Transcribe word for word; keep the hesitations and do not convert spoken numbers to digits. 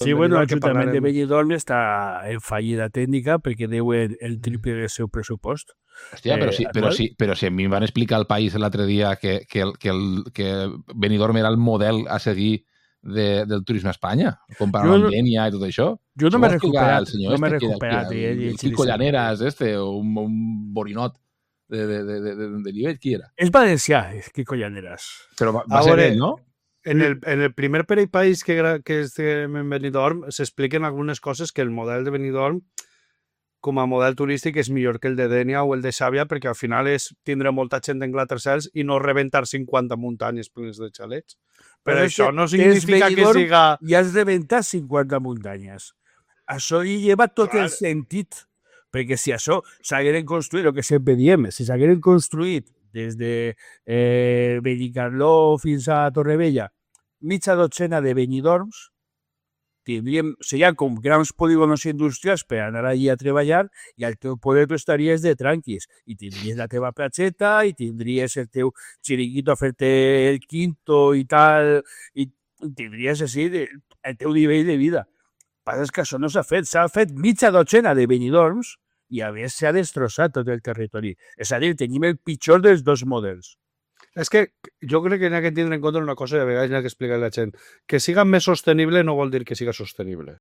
Sí, bueno, l'Ajuntament de Benidorm està en fallida tècnica perquè deu el, el triple del seu pressupost. Hòstia, però, si, però, si, però si a mi em van explicar al País l'altre dia que, que, el, que, el, que Benidorm era el model a seguir de, del turisme a Espanya, comparant amb Dènia i tot això. Jo no m'he recuperat. El senyor no m'he este, recuperat. el, el, el Quico Llaneras, este, o un, un borinot de, de, de, de, de nivell, qui era? És valencià, Quico Llaneras. Però va, va ser ell, no? En el, en el primer per país que, que estem en Benidorm s'expliquen algunes coses que el model de Benidorm com a model turístic és millor que el de Dénia o el de Xàbia perquè al final és tindre molta gent en Glattercels i no rebentar cinquanta muntanyes plenes de xalets. Però, Però això no significa que siga... I has de rebentar cinquanta muntanyes. Això hi lleva tot Clar. el sentit. Perquè si això s'hagueren construït, el que sempre diem, si s'hagueren construït des de eh, Benicarló fins a Torrevella, mitja dotzena de Benidorms, tindríem, serien com grans polígonos industrials per anar allí a treballar i al teu poder tu estaries de tranquis i tindries la teva platxeta i tindries el teu xiringuito a fer-te el quinto i tal i tindries així el teu nivell de vida. Passa és que això no s'ha fet, s'ha fet mitja dotzena de Benidorms i a més s'ha destrossat tot el territori. És a dir, tenim el pitjor dels dos models. És que jo crec que n'hi ha que tindre en compte una cosa i a vegades n'hi ha que explicar a la gent. Que siga més sostenible no vol dir que siga sostenible.